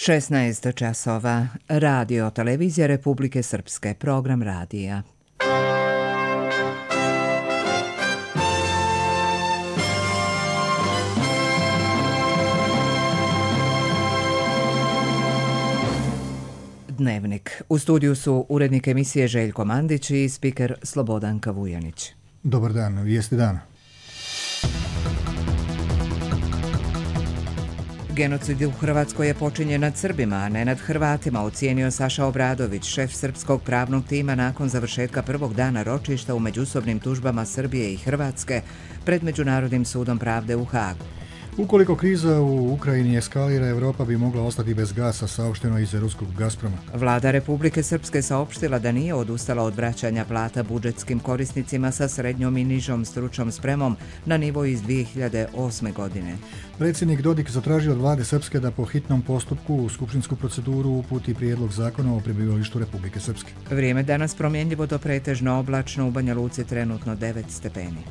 16 časova. Radio televizija Republike Srpske. Program radija. Dnevnik. U studiju su urednik emisije Željko Mandić i spiker Slobodanka Vujanić. Dobar dan, vijesti dana. Genocid u Hrvatskoj je počinjen nad Srbima, a ne nad Hrvatima, ocijenio Saša Obradović, šef srpskog pravnog tima nakon završetka prvog dana ročišta u međusobnim tužbama Srbije i Hrvatske pred Međunarodnim sudom pravde u Hagu. Ukoliko kriza u Ukrajini eskalira, Europa bi mogla ostati bez gasa, saopšteno iz ruskog Gazproma. Vlada Republike Srpske saopštila da nije odustala od vraćanja plata budžetskim korisnicima sa srednjom i nižom stručnom spremom na nivo iz 2008. godine. Predsjednik Dodik zatražio od vlade Srpske da po hitnom postupku u skupštinsku proceduru uputi prijedlog zakona o prebivalištu Republike Srpske. Vrijeme danas promjenljivo do pretežno oblačno, u Banja Luci trenutno 9 stepeni.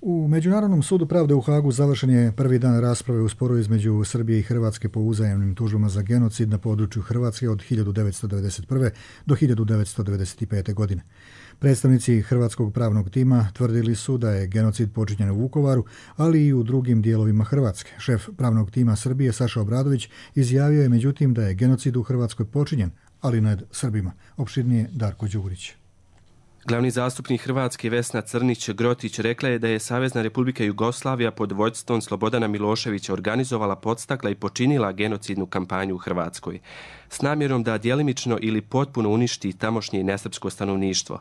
U Međunarodnom sudu pravde u Hagu završen je prvi dan rasprave u sporu između Srbije i Hrvatske po uzajamnim tužbama za genocid na području Hrvatske od 1991. do 1995. godine. Predstavnici hrvatskog pravnog tima tvrdili su da je genocid počinjen u Vukovaru, ali i u drugim dijelovima Hrvatske. Šef pravnog tima Srbije Saša Obradović izjavio je međutim da je genocid u Hrvatskoj počinjen, ali nad Srbima. Opširnije Darko Đurić. Glavni zastupnik Hrvatske Vesna Crnić-Grotić rekla je da je Savezna Republika Jugoslavija pod vođstvom Slobodana Miloševića organizovala, podstakla i počinila genocidnu kampanju u Hrvatskoj s namjerom da djelimično ili potpuno uništi tamošnje nesrpsko stanovništvo.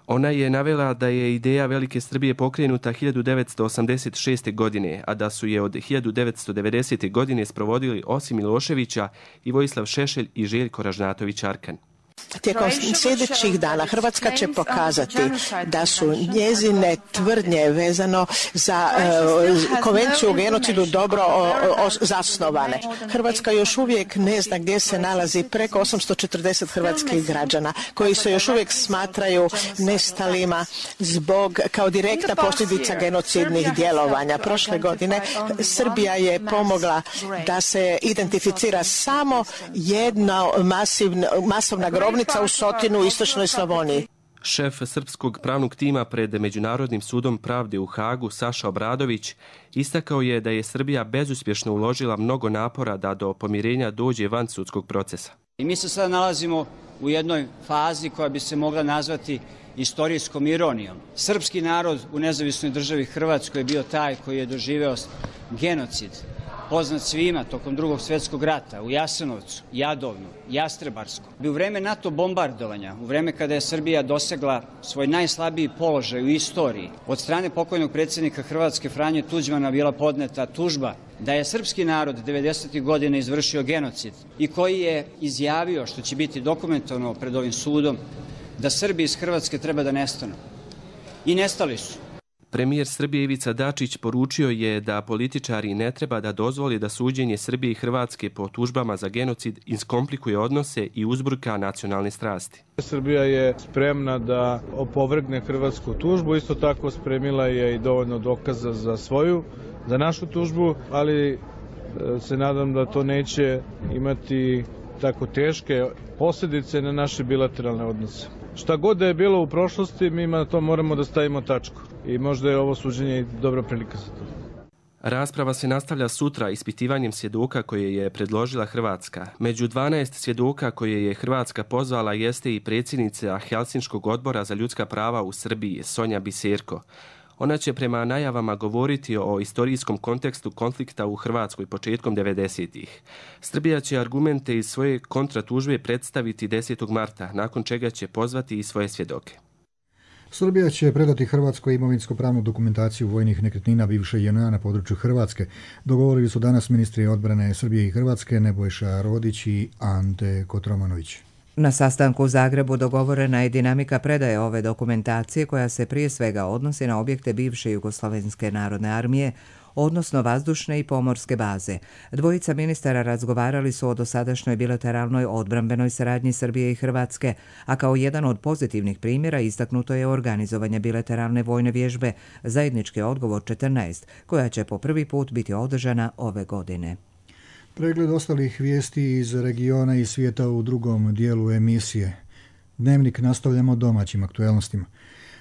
Ona je navela da je ideja Velike Srbije pokrenuta 1986. godine, a da su je od 1990. godine sprovodili osim Miloševića i Vojislav Šešelj i Željko Ražnatović-Arkan. Tijekom sljedećih dana Hrvatska će pokazati da su njezine tvrdnje vezano za konvenciju o genocidu dobro zasnovane. Hrvatska još uvijek ne zna gdje se nalazi preko 840 hrvatskih građana koji se još uvijek smatraju nestalima kao direktna posljedica genocidnih djelovanja. Prošle godine Srbija je pomogla da se identificira samo jedna masovna grobnica u Sotinu u istočnoj Slavoniji. Šef srpskog pravnog tima pred Međunarodnim sudom pravde u Hagu, Saša Obradović, istakao je da je Srbija bezuspješno uložila mnogo napora da do pomirenja dođe van sudskog procesa. I mi se sada nalazimo u jednoj fazi koja bi se mogla nazvati istorijskom ironijom. Srpski narod u nezavisnoj državi Hrvatskoj je bio taj koji je doživeo genocid, poznat svima tokom Drugog svjetskog rata u Jasenovcu, Jadovnu, Jastrebarsku. U vreme NATO bombardovanja, u vreme kada je Srbija dosegla svoj najslabiji položaj u istoriji, od strane pokojnog predsjednika Hrvatske Franje Tuđmana bila podneta tužba da je srpski narod 90. godina izvršio genocid i koji je izjavio, što će biti dokumentovano pred ovim sudom, da Srbi iz Hrvatske treba da nestanu. I nestali su. Premijer Srbije Ivica Dačić poručio je da političari ne treba da dozvoli da suđenje Srbije i Hrvatske po tužbama za genocid iskomplikuje odnose i uzburka nacionalne strasti. Srbija je spremna da opovrgne hrvatsku tužbu, isto tako spremila je i dovoljno dokaza za našu tužbu, ali se nadam da to neće imati tako teške posljedice na naše bilateralne odnose. Šta god da je bilo u prošlosti, mi na to moramo da stavimo tačku. I možda je ovo suđenje dobra prilika za to. Rasprava se nastavlja sutra ispitivanjem svjedoka koje je predložila Hrvatska. Među 12 svjedoka koje je Hrvatska pozvala jeste i predsjednica Helsinškog odbora za ljudska prava u Srbiji, Sonja Biserko. Ona će prema najavama govoriti o istorijskom kontekstu konflikta u Hrvatskoj početkom 90-ih. Srbija će argumente iz svoje kontratužbe predstaviti 10. marta, nakon čega će pozvati i svoje svjedoke. Srbija će predati Hrvatskoj imovinsko-pravnu dokumentaciju vojnih nekretnina bivše JNA na području Hrvatske. Dogovorili su danas ministri odbrane Srbije i Hrvatske Nebojša Rodić i Ante Kotromanović. Na sastanku u Zagrebu dogovorena je dinamika predaje ove dokumentacije koja se prije svega odnosi na objekte bivše Jugoslavenske narodne armije, odnosno vazdušne i pomorske baze. Dvojica ministara razgovarali su o dosadašnjoj bilateralnoj odbrambenoj saradnji Srbije i Hrvatske, a kao jedan od pozitivnih primjera istaknuto je organizovanje bilateralne vojne vježbe Zajednički odgovor 14, koja će po prvi put biti održana ove godine. Pregled ostalih vijesti iz regiona i svijeta u drugom dijelu emisije. Dnevnik nastavljamo domaćim aktuelnostima.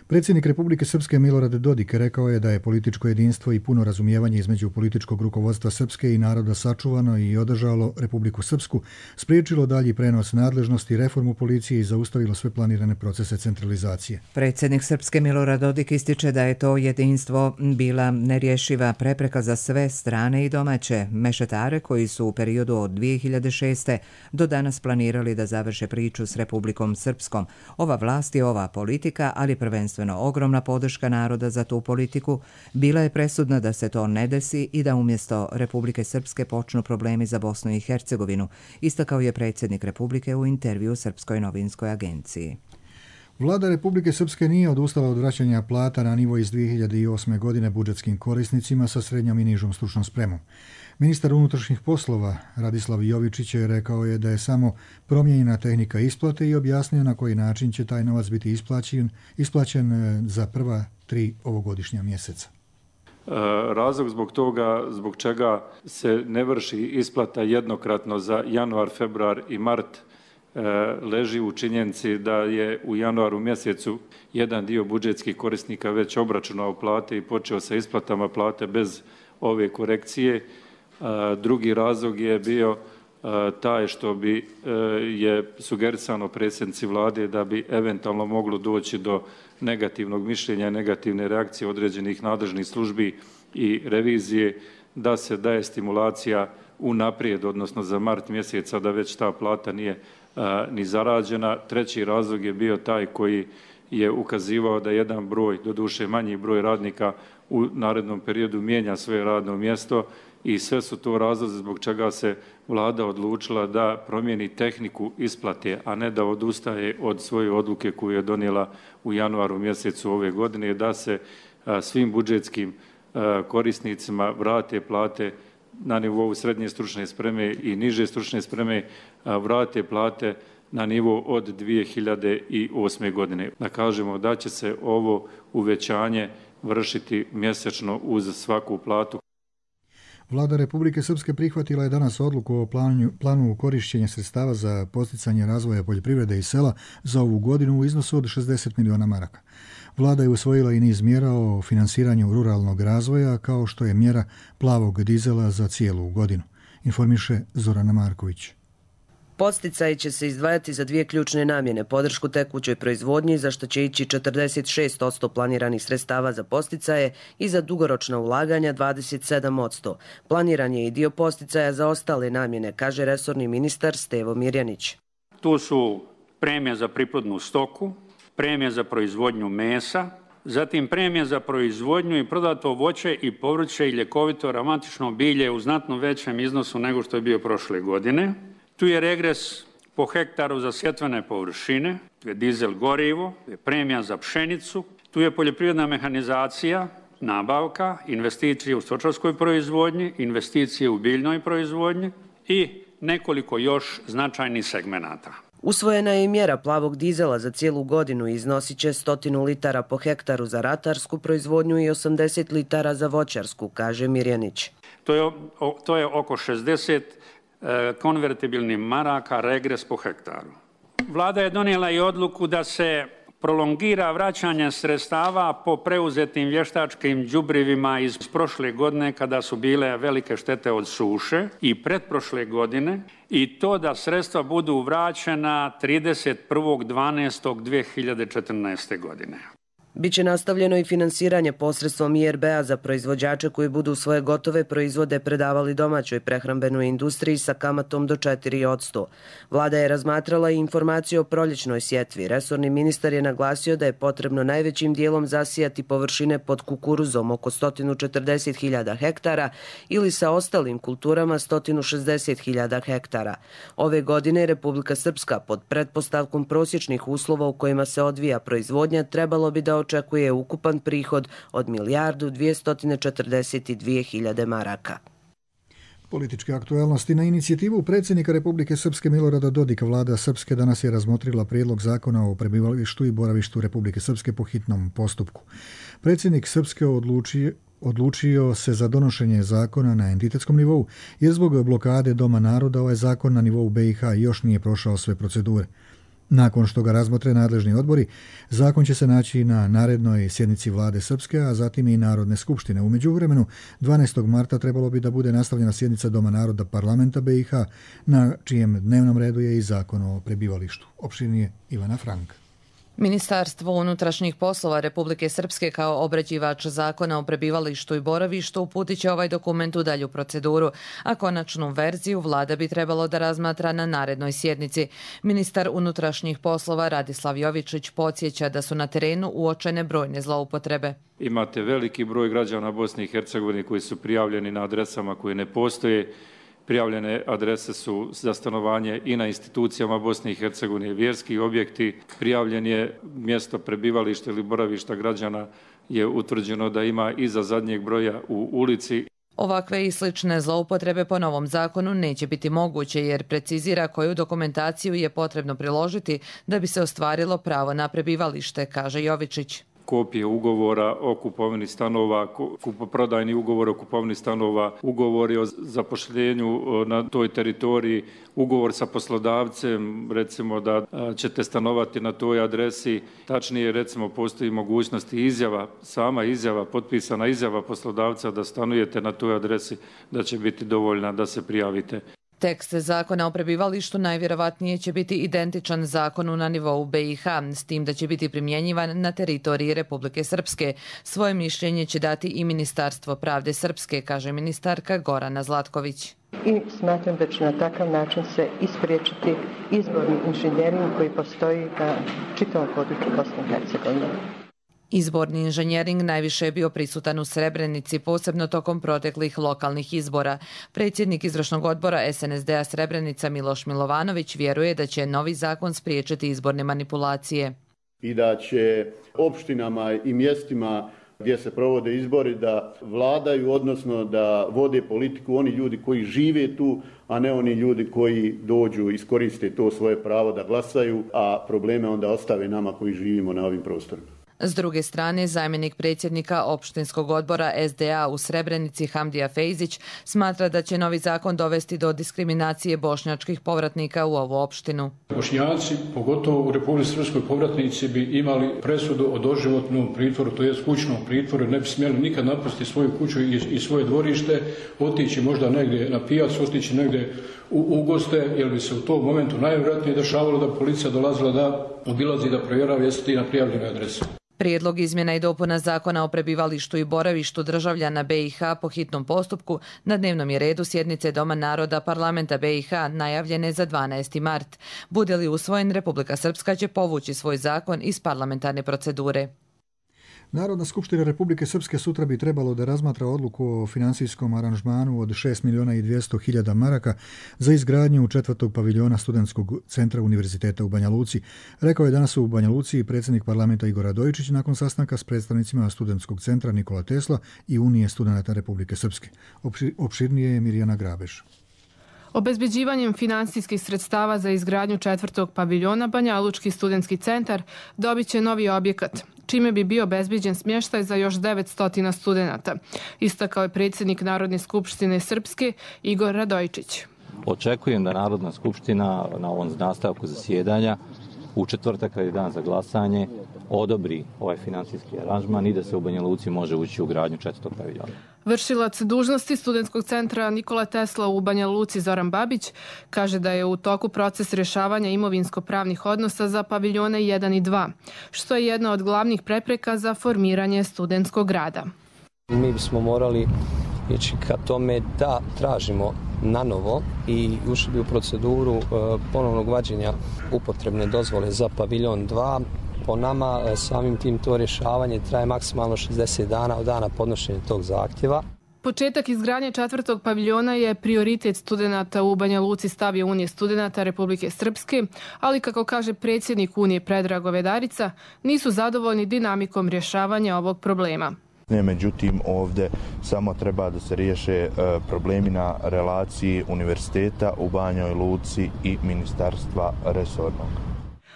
Predsjednik Republike Srpske Milorad Dodik rekao je da je političko jedinstvo i puno razumijevanje između političkog rukovodstva Srpske i naroda sačuvano i održalo Republiku Srpsku, spriječilo dalji prenos nadležnosti, reformu policije i zaustavilo sve planirane procese centralizacije. Predsjednik Srpske Milorad Dodik ističe da je to jedinstvo bila nerješiva prepreka za sve strane i domaće mešetare koji su u periodu od 2006. do danas planirali da završe priču s Republikom Srpskom. Ova vlast i ova politika, ali prvenstveno ogromna podrška naroda za tu politiku, bila je presudna da se to ne desi i da umjesto Republike Srpske počnu problemi za Bosnu i Hercegovinu, istakao je predsjednik Republike u intervju Srpskoj novinskoj agenciji. Vlada Republike Srpske nije odustala od vraćanja plata na nivo iz 2008. godine budžetskim korisnicima sa srednjom i nižom stručnom spremom. Ministar unutrašnjih poslova Radislav Jovičić je rekao je da je samo promijenjena tehnika isplate i objasnio na koji način će taj novac biti isplaćen za prva 3 ovogodišnja mjeseca. Razlog zbog čega se ne vrši isplata jednokratno za januar, februar i mart leži u činjenici da je u januaru mjesecu jedan dio budžetskih korisnika već obračunao plate i počeo sa isplatama plate bez ove korekcije. Drugi razlog je bio taj što bi je sugerisano predsjednici vlade da bi eventualno moglo doći do negativnog mišljenja, negativne reakcije određenih nadležnih službi i revizije, da se daje stimulacija unaprijed, odnosno za mart mjeseca, da već ta plata nije ni zarađena. Treći razlog je bio taj koji je ukazivao da jedan broj, doduše manji broj radnika u narednom periodu mijenja svoje radno mjesto i sve su to razlozi zbog čega se vlada odlučila da promijeni tehniku isplate, a ne da odustaje od svoje odluke koju je donijela u januaru mjesecu ove godine, da se svim budžetskim korisnicima vrate plate na nivou srednje stručne spreme i niže stručne spreme, vrate plate na nivo od 2008. godine. Da kažemo da će se ovo uvećanje vršiti mjesečno uz svaku platu. Vlada Republike Srpske prihvatila je danas odluku o planu korišćenja sredstava za podsticanje razvoja poljoprivrede i sela za ovu godinu u iznosu od 60 miliona maraka. Vlada je usvojila i niz mjera o finansiranju ruralnog razvoja, kao što je mjera plavog dizela za cijelu godinu, informiše Zorana Marković. Podsticaji će se izdvajati za 2 ključne namjene, podršku tekućoj proizvodnji, za što će ići 46% planiranih sredstava za podsticaje i za dugoročna ulaganja 27%. Planiran je i dio podsticaja za ostale namjene, kaže resorni ministar Stevo Mirjanić. Tu su premija za priplodnu stoku, premija za proizvodnju mesa, zatim premija za proizvodnju i prodato voće i povrće i ljekovito aromatično bilje u znatno većem iznosu nego što je bio prošle godine. Tu je regres po hektaru za sjetvene površine, tu je dizel gorivo, tu je premija za pšenicu, tu je poljoprivredna mehanizacija, nabavka, investicije u stočarskoj proizvodnji, investicije u biljnoj proizvodnji i nekoliko još značajnih segmenata. Usvojena je i mjera plavog dizela za cijelu godinu i iznosit će 100 litara po hektaru za ratarsku proizvodnju i 80 litara za voćarsku, kaže Mirjanić. To je oko 60 konvertibilnih maraka regres po hektaru. Vlada je donijela i odluku da se prolongira vraćanje sredstava po preuzetim vještačkim đubrivima iz prošle godine kada su bile velike štete od suše i pretprošle godine i to da sredstva budu vraćena 31.12.2014. godine. Biće nastavljeno i finansiranje posredstvom IRB-a za proizvođače koji budu svoje gotove proizvode predavali domaćoj prehrambenoj industriji sa kamatom do 4%. Vlada je razmatrala i informaciju o proljećnoj sjetvi. Resorni ministar je naglasio da je potrebno najvećim dijelom zasijati površine pod kukuruzom oko 140.000 hektara ili sa ostalim kulturama 160.000 hektara. Ove godine Republika Srpska pod pretpostavkom prosječnih uslova u kojima se odvija proizvodnja trebalo bi da očekuje ukupan prihod od 1.242.000 maraka. Političke aktualnosti. Na inicijativu predsjednika Republike Srpske Milorada Dodika vlada Srpske danas je razmotrila prijedlog zakona o prebivalištu i boravištu Republike Srpske po hitnom postupku. Predsjednik Srpske odlučio se za donošenje zakona na entitetskom nivou, jer zbog blokade Doma naroda ovaj zakon na nivou BiH još nije prošao sve procedure. Nakon što ga razmotre nadležni odbori, zakon će se naći na narednoj sjednici vlade Srpske, a zatim i Narodne skupštine. U međuvremenu, 12. marta trebalo bi da bude nastavljena sjednica Doma naroda parlamenta BiH, na čijem dnevnom redu je i zakon o prebivalištu. Opširnije Ivana Frank. Ministarstvo unutrašnjih poslova Republike Srpske kao obrađivač zakona o prebivalištu i boravištu uputit će ovaj dokument u dalju proceduru, a konačnu verziju vlada bi trebalo da razmatra na narednoj sjednici. Ministar unutrašnjih poslova Radislav Jovičić podsjeća da su na terenu uočene brojne zloupotrebe. Imate veliki broj građana Bosne i Hercegovine koji su prijavljeni na adresama koje ne postoje. Prijavljene adrese su za stanovanje i na institucijama Bosne i Hercegovine, vjerski objekti. Prijavljen je mjesto prebivališta ili boravišta građana je utvrđeno da ima iza zadnjeg broja u ulici. Ovakve i slične zloupotrebe po novom zakonu neće biti moguće jer precizira koju dokumentaciju je potrebno priložiti da bi se ostvarilo pravo na prebivalište, kaže Jovičić. Kopije ugovora o kupovini stanova, kupoprodajni ugovor o kupovini stanova, ugovori o zapošljenju na toj teritoriji, ugovor sa poslodavcem, recimo da ćete stanovati na toj adresi. Tačnije, recimo, postoji mogućnost i izjava, sama izjava, potpisana izjava poslodavca da stanujete na toj adresi, da će biti dovoljna da se prijavite. Tekst zakona o prebivalištu najvjerovatnije će biti identičan zakonu na nivou BiH, s tim da će biti primjenjivan na teritoriji Republike Srpske. Svoje mišljenje će dati i Ministarstvo pravde Srpske, kaže ministarka Gorana Zlatković. I smatram da će na takav način se ispriječiti izborni inženjering koji postoji na čitavom području Bosne i Hercegovine. Izborni inženjering najviše je bio prisutan u Srebrenici, posebno tokom proteklih lokalnih izbora. Predsjednik izvršnog odbora SNSD-a Srebrenica Miloš Milovanović vjeruje da će novi zakon spriječiti izborne manipulacije. I da će opštinama i mjestima gdje se provode izbori da vladaju, odnosno da vode politiku oni ljudi koji žive tu, a ne oni ljudi koji dođu, iskoriste to svoje pravo da glasaju, a probleme onda ostave nama koji živimo na ovim prostorima. S druge strane, zamjenik predsjednika opštinskog odbora SDA u Srebrenici Hamdija Fejzić smatra da će novi zakon dovesti do diskriminacije bošnjačkih povratnika u ovu opštinu. Bošnjaci, pogotovo u Republici Srpskoj povratnici, bi imali presudu o doživotnom pritvoru, to je kućnom pritvoru, ne bi smjeli nikad napustiti svoju kuću i svoje dvorište, otići možda negdje na pijac, otići negdje u goste, jer bi se u tom momentu najvjerojatnije dešavalo da policija dolazila da obilazi, da provjerava jesi ti na prijavljenoj adresi. Prijedlog izmjena i dopuna zakona o prebivalištu i boravištu državljana BiH po hitnom postupku na dnevnom je redu sjednice Doma naroda parlamenta BiH najavljene za 12. mart. Bude li usvojen, Republika Srpska će povući svoj zakon iz parlamentarne procedure. Narodna skupština Republike Srpske sutra bi trebalo da razmatra odluku o financijskom aranžmanu od 6.200.000 maraka za izgradnju 4. paviljona studentskog centra Univerziteta u Banja Luci. Rekao je danas u Banja Luci predsjednik parlamenta Igor Radojičić nakon sastanka s predstavnicima studentskog centra Nikola Tesla i Unije studenata Republike Srpske. Opširnije je Mirjana Grabeš. Obezbeđivanjem finansijskih sredstava za izgradnju 4. paviljona Banja Lučki studentski centar dobit će novi objekat, čime bi bio obezbeđen smještaj za još 900 studenata, istakao je predsjednik Narodne skupštine Srpske Igor Radojičić. Očekujem da Narodna skupština na ovom nastavku zasjedanja u četvrtak kad je dan za glasanje odobri ovaj financijski aranžman i da se u Banja Luci može ući u gradnju 4. paviljona. Vršilac dužnosti Studentskog centra Nikola Tesla u Banja Luci Zoran Babić kaže da je u toku proces rješavanja imovinsko-pravnih odnosa za paviljone 1 i 2, što je jedna od glavnih prepreka za formiranje studentskog grada. Mi bismo morali ići ka tome da tražimo na novo i ušli bi u proceduru ponovnog vađenja upotrebne dozvole za paviljon 2. Po nama samim tim to rješavanje traje maksimalno 60 dana od dana podnošenja tog zahtjeva. Početak izgradnje 4. paviljona je prioritet studenata u Banja Luci, stavio Unije studenata Republike Srpske, ali kako kaže predsjednik Unije Predrag Govedarica, nisu zadovoljni dinamikom rješavanja ovog problema. Međutim, ovdje samo treba da se riješe problemi na relaciji univerziteta u Banjoj Luci i ministarstva resornog.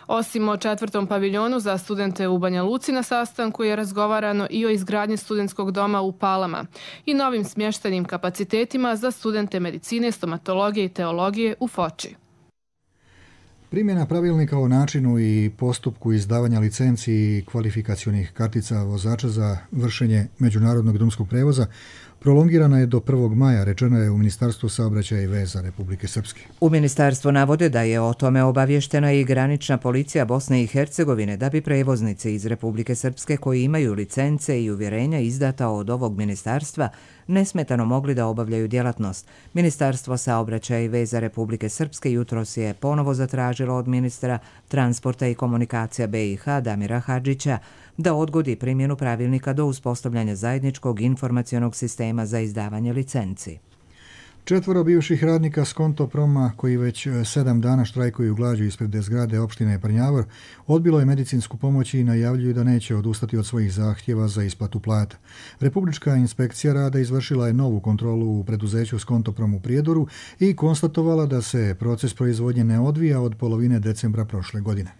Osim o 4. paviljonu za studente u Banja Luci, na sastanku je razgovarano i o izgradnji studentskog doma u Palama i novim smještajnim kapacitetima za studente medicine, stomatologije i teologije u Foči. Primjena pravilnika o načinu i postupku izdavanja licenci i kvalifikacionih kartica vozača za vršenje međunarodnog drumskog prevoza prolongirana je do 1. maja, rečeno je u Ministarstvu saobraćaja i veza Republike Srpske. U ministarstvu navode da je o tome obavještena i granična policija Bosne i Hercegovine da bi prevoznici iz Republike Srpske koji imaju licence i uvjerenja izdata od ovog ministarstva nesmetano mogli da obavljaju djelatnost. Ministarstvo saobraćaja i veza Republike Srpske jutros je ponovo zatražilo od ministra transporta i komunikacija BiH Damira Hadžića da odgodi primjenu pravilnika do uspostavljanja zajedničkog informacionog sistema za izdavanje licenci. 4 bivših radnika s Kontoproma, koji već 7 dana štrajkuju glađu ispred zgrade opštine Prnjavor, odbilo je medicinsku pomoć i najavljuju da neće odustati od svojih zahtjeva za isplatu plata. Republička inspekcija rada izvršila je novu kontrolu u preduzeću s Kontoprom u Prijedoru i konstatovala da se proces proizvodnje ne odvija od polovine decembra prošle godine.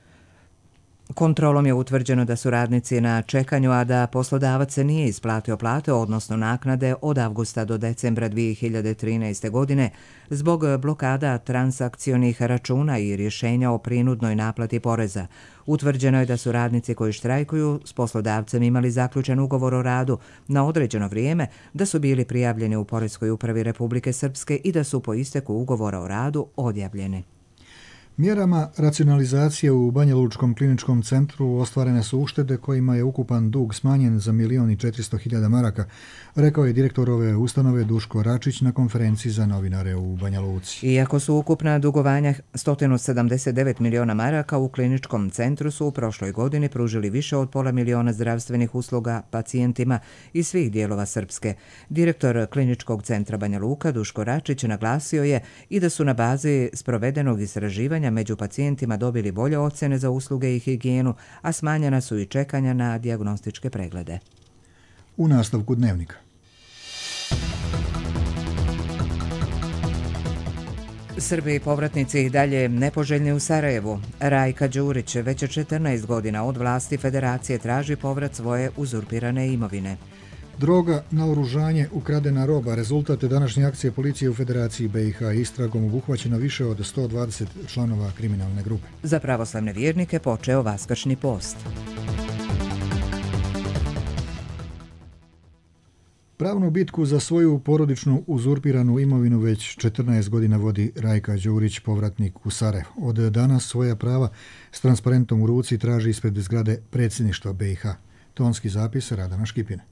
Kontrolom je utvrđeno da su radnici na čekanju, a da poslodavac se nije isplatio plate, odnosno naknade od avgusta do decembra 2013. godine zbog blokada transakcionih računa i rješenja o prinudnoj naplati poreza. Utvrđeno je da su radnici koji štrajkuju s poslodavcem imali zaključen ugovor o radu na određeno vrijeme, da su bili prijavljeni u Poreskoj upravi Republike Srpske i da su po isteku ugovora o radu odjavljeni. Mjerama racionalizacije u Banja Lučkom kliničkom centru ostvarene su uštede kojima je ukupan dug smanjen za 1.400.000 maraka, rekao je direktor ove ustanove Duško Račić na konferenciji za novinare u Banja Luci. Iako su ukupna dugovanja 179 miliona maraka, u kliničkom centru su u prošloj godini pružili više od pola miliona zdravstvenih usluga pacijentima iz svih dijelova Srpske. Direktor kliničkog centra Banja Luka Duško Račić naglasio je i da su na bazi sprovedenog istraživanja među pacijentima dobili bolje ocjene za usluge i higijenu, a smanjena su i čekanja na dijagnostičke preglede. U nastavku dnevnika. Srbi i povratnici i dalje nepoželjni u Sarajevu. Rajka Đurić već 14 godina od vlasti federacije traži povrat svoje uzurpirane imovine. Droga, naoružanje, ukradena roba, rezultat današnje akcije policije u Federaciji BiH. Istragom obuhvaćeno više od 120 članova kriminalne grupe. Za pravoslavne vjernike počeo Vaskršnji post. Pravnu bitku za svoju porodičnu uzurpiranu imovinu već 14 godina vodi Rajka Đurić, povratnik u Sarajevo. Od danas svoja prava s transparentom u ruci traži ispred zgrade predsjedništva BiH. Tonski zapis Radana Škipine.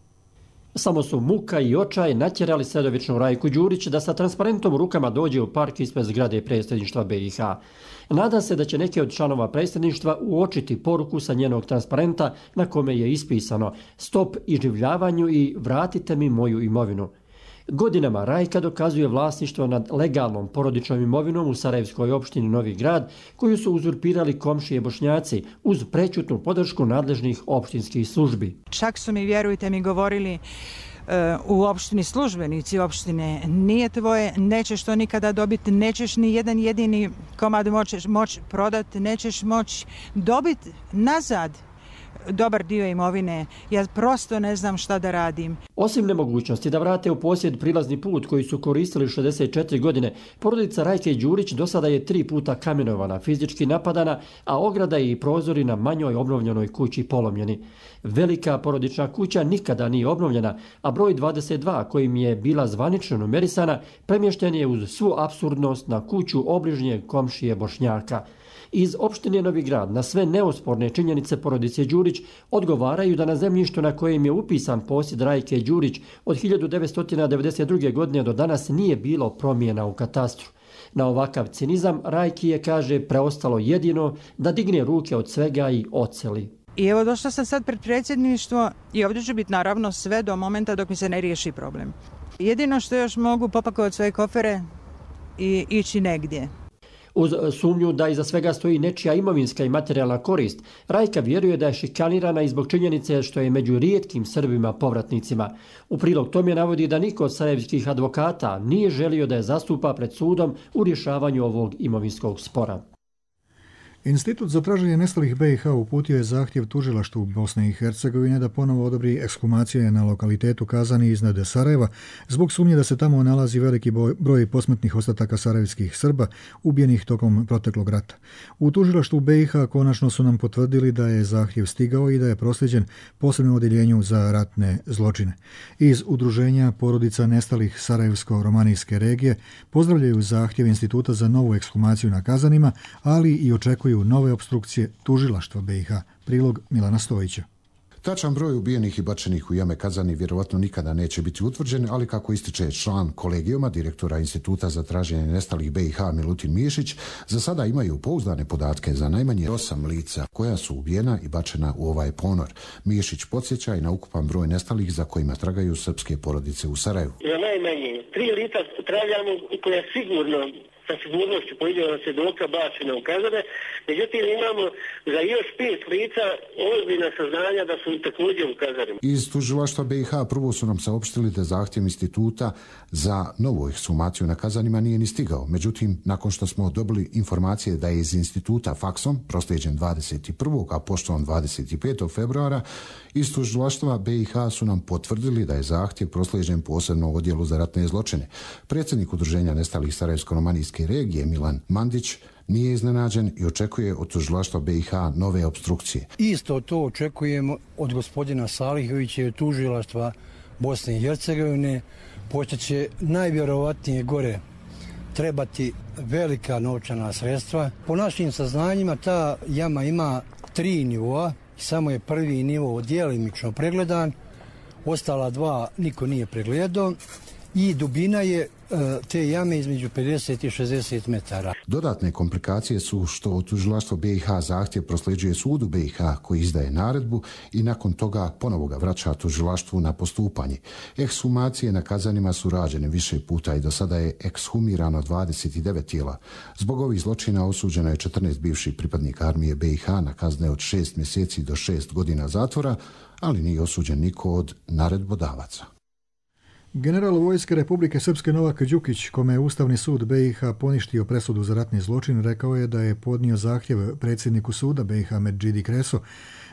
Samo su muka i očaj natjerali sredovičnu Rajku Đurić da sa transparentom u rukama dođe u park ispred zgrade predsjedništva BiH. Nada se da će neki od članova predsjedništva uočiti poruku sa njenog transparenta na kome je ispisano stop iživljavanju i vratite mi moju imovinu. Godinama Rajka dokazuje vlasništvo nad legalnom porodičnom imovinom u Sarajevskoj opštini Novi Grad, koju su uzurpirali komšije Bošnjaci uz prećutnu podršku nadležnih opštinskih službi. Čak su mi, vjerujte mi, govorili u opštini službenici opštine, nije tvoje, nećeš to nikada dobiti, nećeš ni jedan jedini komad moći prodati, nećeš moći dobiti nazad dobar dio imovine. Ja prosto ne znam šta da radim. Osim nemogućnosti da vrate u posjed prilazni put koji su koristili 64 godine, porodica Rajke Đurić do sada je 3 puta kamenovana, fizički napadana, a ograda i prozori na manjoj obnovljenoj kući polomljeni. Velika porodična kuća nikada nije obnovljena, a broj 22, kojim je bila zvanično numerisana, premješten je uz svu apsurdnost na kuću obližnjeg komšije Bošnjaka. Iz opštine Novi Grad na sve neosporne činjenice porodice Đurić odgovaraju da na zemljištu na kojem je upisan posjed Rajke Đurić od 1992. godine do danas nije bilo promjena u katastru. Na ovakav cinizam Rajki je, kaže, preostalo jedino da digne ruke od svega i oceli. I evo došla sam sad pred predsjedništvo i ovdje ću biti naravno sve do momenta dok mi se ne riješi problem. Jedino što još mogu popakovati svoje kofere i ići negdje. Uz sumnju da iza svega stoji nečija imovinska i materijalna korist, Rajka vjeruje da je šikanirana i zbog činjenice što je među rijetkim Srbima povratnicima. U prilog tome navodi da niko od sarajevskih advokata nije želio da je zastupa pred sudom u rješavanju ovog imovinskog spora. Institut za traženje nestalih BiH uputio je zahtjev tužilaštvu Bosne i Hercegovine da ponovo odobri ekshumacije na lokalitetu Kazani iznad Sarajeva zbog sumnje da se tamo nalazi veliki broj posmrtnih ostataka sarajevskih Srba ubijenih tokom proteklog rata. U tužilaštvu BiH konačno su nam potvrdili da je zahtjev stigao i da je prosljeđen posebnom odjeljenju za ratne zločine. Iz udruženja porodica nestalih Sarajevsko-romanijske regije pozdravljaju zahtjev Instituta za novu ekshumaciju na Kazanima, ali i očekuju nove opstrukcije tužilaštva BiH. Prilog Milana Stojića. Tačan broj ubijenih i bačenih u jame Kazani vjerovatno nikada neće biti utvrđen, ali kako ističe član kolegijuma direktora Instituta za traženje nestalih BiH Milutin Miješić, za sada imaju pouzdane podatke za najmanje 8 lica koja su ubijena i bačena u ovaj ponor. Miješić podsjeća i na ukupan broj nestalih za kojima tragaju srpske porodice u Sarajevu. Za najmanje 3 lica tragamo koja sigurno sa sigurnošću pojedina svjedoka bačena u Kazane. Međutim, imamo za još 5 lica ozbiljna saznanja da su također u Kazanima. Iz tužilaštva BiH prvo su nam saopštili da zahtjev instituta za novu ekshumaciju na Kazanima nije ni stigao. Međutim, nakon što smo dobili informacije da je iz instituta faksom proslijeđen 21. a poštom 25. februara, iz tužilaštva BiH su nam potvrdili da je zahtjev proslijeđen posebnom odjelu za ratne zločine. Predsjednik udruženja nestalih Sarajevsko-romanijske regije Milan Mandić nije iznenađen i očekuje od tužilaštva BiH nove opstrukcije. Isto to očekujemo od gospodina Salihovića i tužilaštva Bosne i Hercegovine, pošto će najvjerovatnije gore trebati velika novčana sredstva. Po našim saznanjima ta jama ima 3 nivoa, samo je prvi nivo djelimično pregledan, ostala 2 niko nije pregledao i dubina je te jame između 50 i 60 metara. Dodatne komplikacije su što tužilaštvo BiH zahtjev prosljeđuje sudu BiH koji izdaje naredbu i nakon toga ponovo ga vraća tužilaštvu na postupanje. Ekshumacije na Kazanima su rađene više puta i do sada je ekshumirano 29 tijela. Zbog ovih zločina osuđeno je 14 bivših pripadnika armije BiH na kazne od 6 mjeseci do 6 godina zatvora, ali nije osuđen niko od naredbodavaca. General vojske Republike Srpske Novak Đukić, kome je Ustavni sud BiH poništio presudu za ratni zločin, rekao je da je podnio zahtjev predsjedniku suda BiH Medžidi Kreso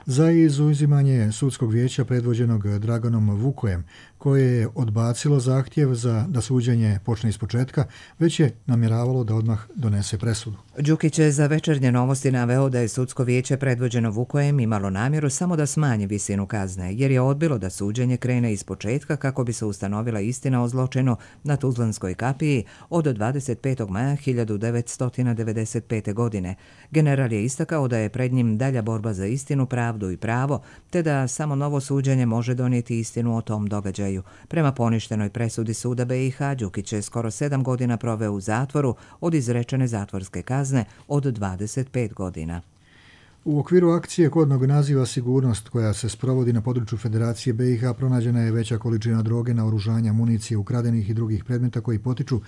za izuzimanje sudskog vijeća predvođenog Draganom Vukojem, koje je odbacilo zahtjev za da suđenje počne ispočetka, već je namjeravalo da odmah donese presudu. Đukić je za Večernje novosti naveo da je sudsko vijeće predvođeno Vukojem imalo namjeru samo da smanji visinu kazne, jer je odbilo da suđenje krene ispočetka kako bi se ustanovila istina o zločinu na Tuzlanskoj kapiji od 25. maja 1995. godine. General je istakao da je pred njim dalja borba za istinu, pravdu i pravo, te da samo novo suđenje može donijeti istinu o tom događaju. Prema poništenoj presudi suda BiH, Đukić je skoro 7 godina proveo u zatvoru od izrečene zatvorske kazne od 25 godina. U okviru akcije kodnog naziva Sigurnost, koja se sprovodi na području Federacije BiH, pronađena je veća količina droge, naoružanja, municije, ukradenih i drugih predmeta koji potiču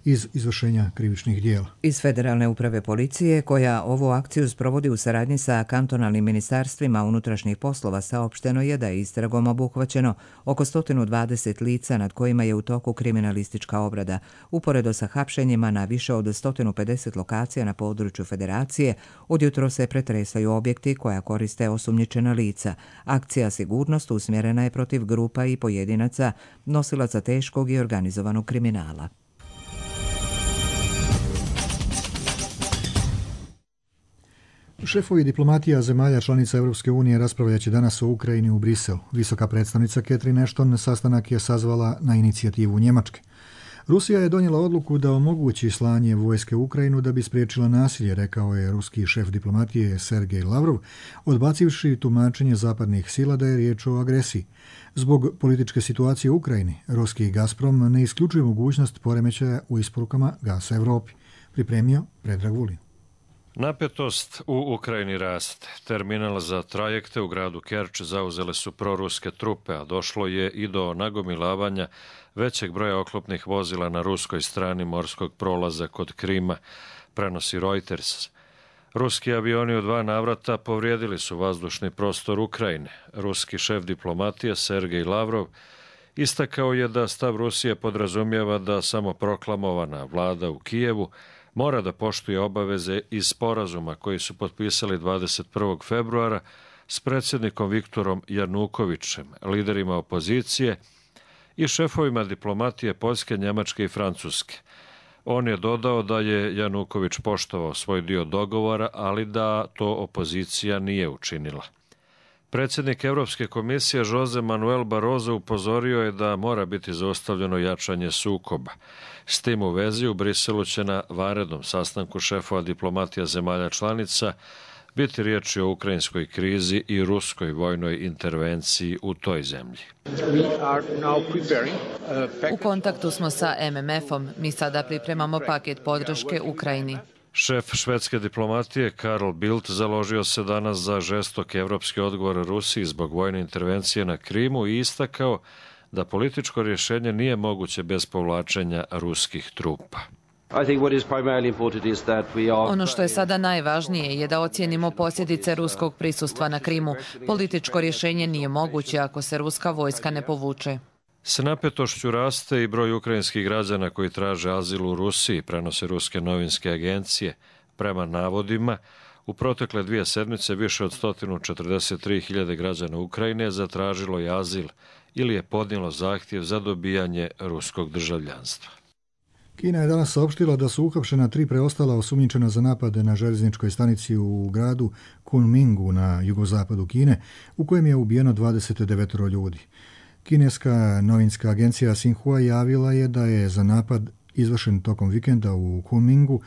iz izvršenja krivičnih dijela. Iz Federalne uprave policije, koja ovu akciju sprovodi u saradnji sa kantonalnim ministarstvima unutrašnjih poslova, saopšteno je da je istragom obuhvaćeno oko 120 lica nad kojima je u toku kriminalistička obrada. Uporedo sa hapšenjima na više od 150 lokacija na području federacije, odjutro se pretresaju objekti koja koriste osumnjičena lica. Akcija Sigurnost usmjerena je protiv grupa i pojedinaca nosilaca teškog i organizovanog kriminala. Šefovi diplomatija zemalja članica Europske unije raspravljaće danas o Ukrajini u Briselu. Visoka predstavnica Catherine Ashton sastanak je sazvala na inicijativu Njemačke. Rusija je donijela odluku da omogući slanje vojske u Ukrajinu da bi spriječila nasilje, rekao je ruski šef diplomatije Sergej Lavrov, odbacivši tumačenje zapadnih sila da je riječ o agresiji. Zbog političke situacije u Ukrajini, ruski Gazprom ne isključuje mogućnost poremećaja u isporukama gasa Evropi. Pripremio Predrag Vulin. Napetost u Ukrajini raste. Terminal za trajekte u gradu Kerč zauzele su proruske trupe, a došlo je i do nagomilavanja većeg broja oklopnih vozila na ruskoj strani morskog prolaza kod Krima, prenosi Reuters. Ruski avioni u 2 navrata povrijedili su vazdušni prostor Ukrajine. Ruski šef diplomatije Sergej Lavrov istakao je da stav Rusije podrazumijeva da samoproklamovana vlada u Kijevu mora da poštuje obaveze iz sporazuma koji su potpisali 21. februara s predsjednikom Viktorom Janukovićem, liderima opozicije i šefovima diplomatije Poljske, Njemačke i Francuske. On je dodao da je Januković poštovao svoj dio dogovora, ali da to opozicija nije učinila. Predsjednik Europske komisije Jose Manuel Barroso upozorio je da mora biti zaustavljeno jačanje sukoba. S tim u vezi u Briselu će na vanrednom sastanku šefova diplomatija zemalja članica biti riječi o ukrajinskoj krizi i ruskoj vojnoj intervenciji u toj zemlji. U kontaktu smo sa MMF-om. Mi sada pripremamo paket podrške Ukrajini. Šef švedske diplomatije Carl Bildt založio se danas za žestok evropski odgovor Rusiji zbog vojne intervencije na Krimu i istakao da političko rješenje nije moguće bez povlačenja ruskih trupa. Ono što je sada najvažnije je da ocijenimo posljedice ruskog prisustva na Krimu. Političko rješenje nije moguće ako se ruska vojska ne povuče. S napetošću raste i broj ukrajinskih građana koji traže azil u Rusiji, prenose ruske novinske agencije. Prema navodima, u protekle 2 sedmice više od 143.000 građana Ukrajine zatražilo je azil ili je podnijelo zahtjev za dobijanje ruskog državljanstva. Kina je danas saopštila da su uhapšena 3 preostala osumnjičena za napade na željezničkoj stanici u gradu Kunmingu na jugozapadu Kine, u kojem je ubijeno 29 ljudi. Kineska novinska agencija Xinhua javila je da je za napad izvršen tokom vikenda u Kunmingu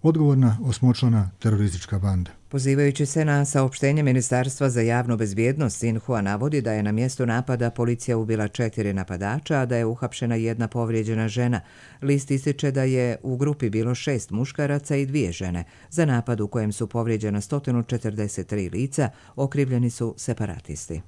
odgovorna osmočlana teroristička banda. Pozivajući se na saopštenje Ministarstva za javnu bezbjednost, Xinhua navodi da je na mjestu napada policija ubila 4 napadača, a da je uhapšena 1 povrijeđena žena. List ističe da je u grupi bilo 6 muškaraca i 2 žene. Za napad u kojem su povrijeđena 143 lica okrivljeni su separatisti.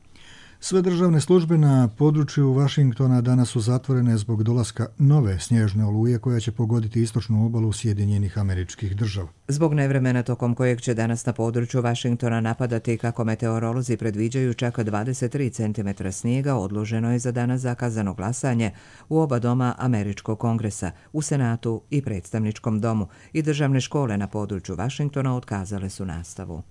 Sve državne službe na području Vašingtona danas su zatvorene zbog dolaska nove snježne oluje koja će pogoditi istočnu obalu Sjedinjenih Američkih Država. Zbog nevremena tokom kojeg će danas na području Vašingtona napadati, kako meteorolozi predviđaju, čak 23 cm snijega, odloženo je za danas zakazano glasanje u oba doma Američkog kongresa, u Senatu i Predstavničkom domu, i državne škole na području Vašingtona otkazale su nastavu.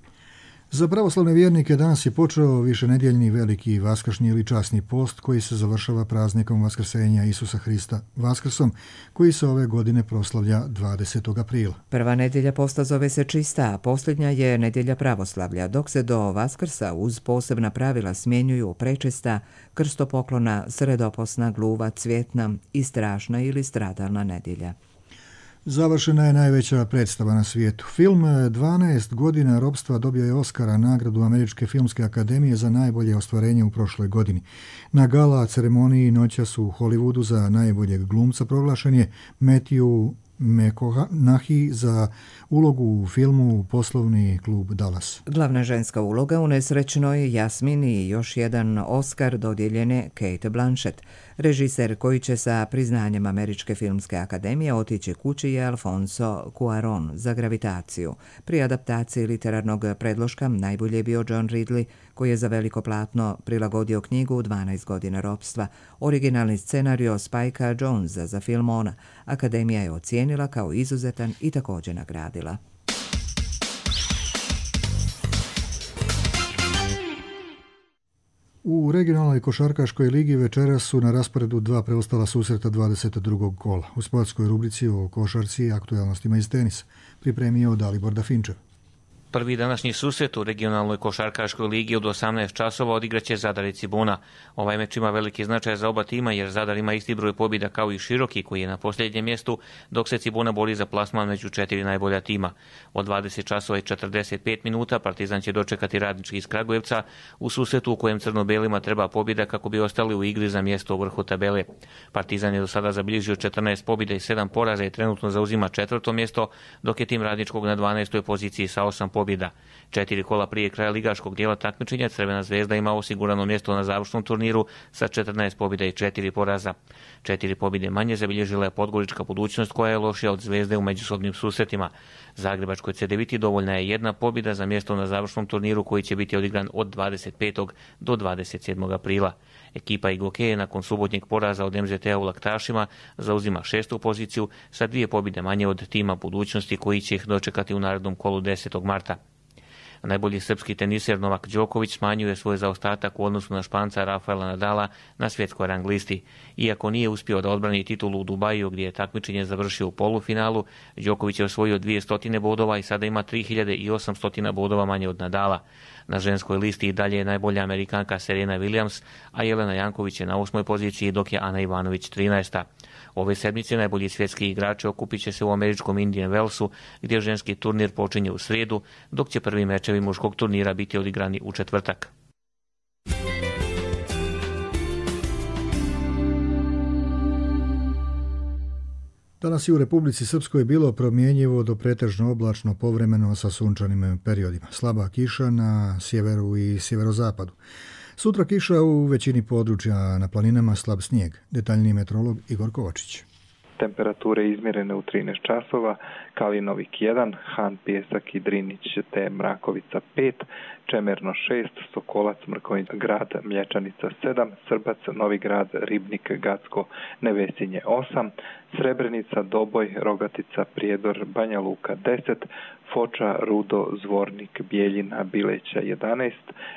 Za pravoslavne vjernike danas je počeo višenedjeljni veliki vaskršnji ili časni post koji se završava praznikom Vaskrsenja Isusa Hrista Vaskrsom, koji se ove godine proslavlja 20. aprila. Prva nedjelja posta zove se čista, a posljednja je nedjelja pravoslavlja, dok se do Vaskrsa uz posebna pravila smjenjuju prečista, krstopoklona, sredoposna, gluva, cvjetna i strašna ili stradalna nedjelja. Završena je najveća predstava na svijetu. Film 12 godina ropstva dobio je Oscara, nagradu Američke filmske akademije za najbolje ostvarenje u prošloj godini. Na gala ceremoniji noćas u Hollywoodu za najboljeg glumca proglašen je Matthew McConaughey za ulogu u filmu Poslovni klub Dallas. Glavna ženska uloga u nesrećnoj Jasmini i još jedan Oscar dodijeljen je Cate Blanchett. Režiser koji će sa priznanjem Američke filmske akademije otići kući je Alfonso Cuarón za Gravitaciju. Pri adaptaciji literarnog predloška najbolje je bio John Ridley, koji je za veliko platno prilagodio knjigu 12 godina ropstva. Originalni scenario Spikea Jonesa za film Ona Akademija je ocijenila kao izuzetan i također nagradila. U regionalnoj košarkaškoj ligi večeras su na rasporedu dva preostala susreta 22. kola. U sportskoj rubrici o košarci i aktualnostima iz tenisa pripremio Dalibor Dafinčev. Prvi današnji susret u regionalnoj košarkaškoj ligi od 18 časova odigraće Zadar i Cibuna. Ovaj meč ima veliki značaj za oba tima jer Zadar ima isti broj pobjeda kao i Široki koji je na posljednjem mjestu, dok se Cibuna bori za plasman među 4 najbolja tima. Od 20 časova i 45 minuta Partizan će dočekati Radnički iz Kragujevca u susretu u kojem crno-belima treba pobjeda kako bi ostali u igri za mjesto u vrhu tabele. Partizan je do sada zabilježio 14 pobjeda i 7 poraza i trenutno zauzima 4. mjesto, dok je tim Radničkog na 12. poziciji sa 8 pobjeda. 4 kola prije kraja ligaškog dijela takmičenja Crvena zvezda ima osigurano mjesto na završnom turniru sa 14 pobjeda i 4 poraza. 4 pobjede manje zabilježila je Podgorička Budućnost koja je lošija od Zvezde u međusobnim susretima. Zagrebačkoj Cedeviti dovoljna je 1 pobjeda za mjesto na završnom turniru koji će biti odigran od 25. do 27. aprila. Ekipa Igokea nakon subotnjeg poraza od MZT-a u Laktašima zauzima 6. poziciju sa 2 pobjede manje od tima Budućnosti koji će ih dočekati u narednom kolu 10. marta. Najbolji srpski teniser Novak Đoković smanjuje svoj zaostatak u odnosu na Španca Rafaela Nadala na svjetskoj rang listi. Iako nije uspio da odbrani titulu u Dubaju gdje je takmičenje završio u polufinalu, Đoković je osvojio 200 bodova i sada ima 3800 bodova manje od Nadala. Na ženskoj listi i dalje je najbolja Amerikanka Serena Williams, a Jelena Janković je na 8. poziciji dok je Ana Ivanović 13. Ove sedmice najbolji svjetski igrači okupit će se u američkom Indian Wellsu gdje ženski turnir počinje u srijedu, dok će prvi mečevi muškog turnira biti odigrani u četvrtak. Danas je u Republici Srpskoj bilo promjenjivo do pretežno oblačno povremeno sa sunčanim periodima. Slaba kiša na sjeveru i sjeverozapadu. Sutra kiša u većini područja, na planinama slab snijeg. Detaljniji meteorolog Igor Kovačić. Temperature izmjerene u 13 časova, Kalinovik 1, Han, Pjesak i Drinić te Mrakovica 5, Čemerno 6, Sokolac, Mrkonjić, Grad, Mlječanica 7, Srbac, Novi Grad, Ribnik, Gacko, Nevesinje 8, Srebrenica, Doboj, Rogatica, Prijedor, Banja Luka 10, Foča, Rudo, Zvornik, Bijeljina, Bileća 11,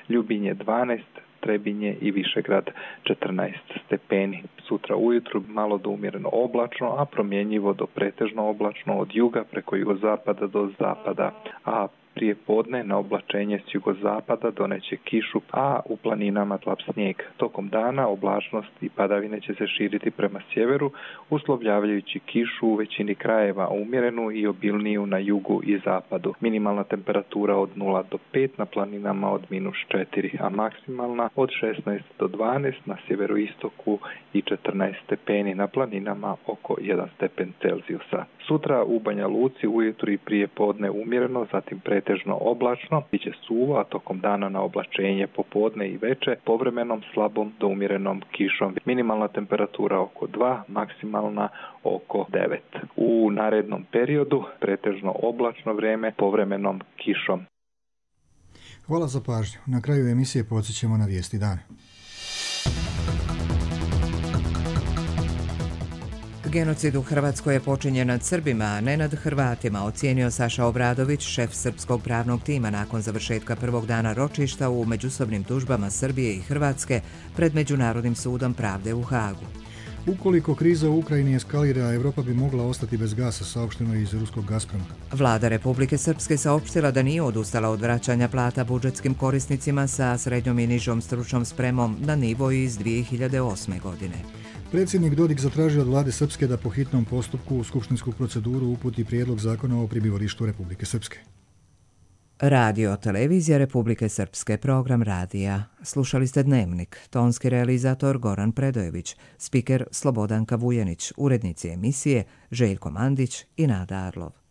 Ljubinje 12, Trebinje i Višegrad 14 stepeni. Sutra ujutru malo do umjereno oblačno, a promjenjivo do pretežno oblačno od juga preko jugozapada do zapada, a prije podne na oblačenje s jugozapada doneće kišu, a u planinama slab snijeg. Tokom dana oblačnost i padavine će se širiti prema sjeveru, uslovljavajući kišu u većini krajeva umjerenu i obilniju na jugu i zapadu. Minimalna temperatura od 0 do 5, na planinama od -4, a maksimalna od 16 do 12, na sjeveroistoku i 14 stepeni, na planinama oko 1 stepen Celzijusa. Sutra u Banja Luci ujutru i prije podne umjereno, zatim pretežno oblačno, biće suvo, a tokom dana na oblačenje popodne i veče povremenom slabom do umjerenom kišom. Minimalna temperatura oko 2, maksimalna oko 9. U narednom periodu pretežno oblačno vrijeme povremenom kišom. Hvala za pažnju. Na kraju emisije podsjećamo na vijesti dana. Genocid u Hrvatskoj je počinjen nad Srbima, a ne nad Hrvatima, ocijenio Saša Obradović, šef srpskog pravnog tima nakon završetka prvog dana ročišta u međusobnim tužbama Srbije i Hrvatske pred Međunarodnim sudom pravde u Hagu. Ukoliko kriza u Ukrajini eskalira, Evropa bi mogla ostati bez gasa, saopšteno iz ruskog Gazproma. Vlada Republike Srpske saopštila da nije odustala od vraćanja plata budžetskim korisnicima sa srednjom i nižom stručnom spremom na nivo iz 2008. godine. Predsjednik Dodik zatražio od vlade Srpske da po hitnom postupku u skupštinsku proceduru uputi prijedlog zakona o prebivalištu Republike Srpske. Radio Televizija Republike Srpske, program radija. Slušali ste Dnevnik, tonski realizator Goran Predojević, spiker Slobodanka Vujanić, urednici emisije Željko Mandić i Nada Arlov.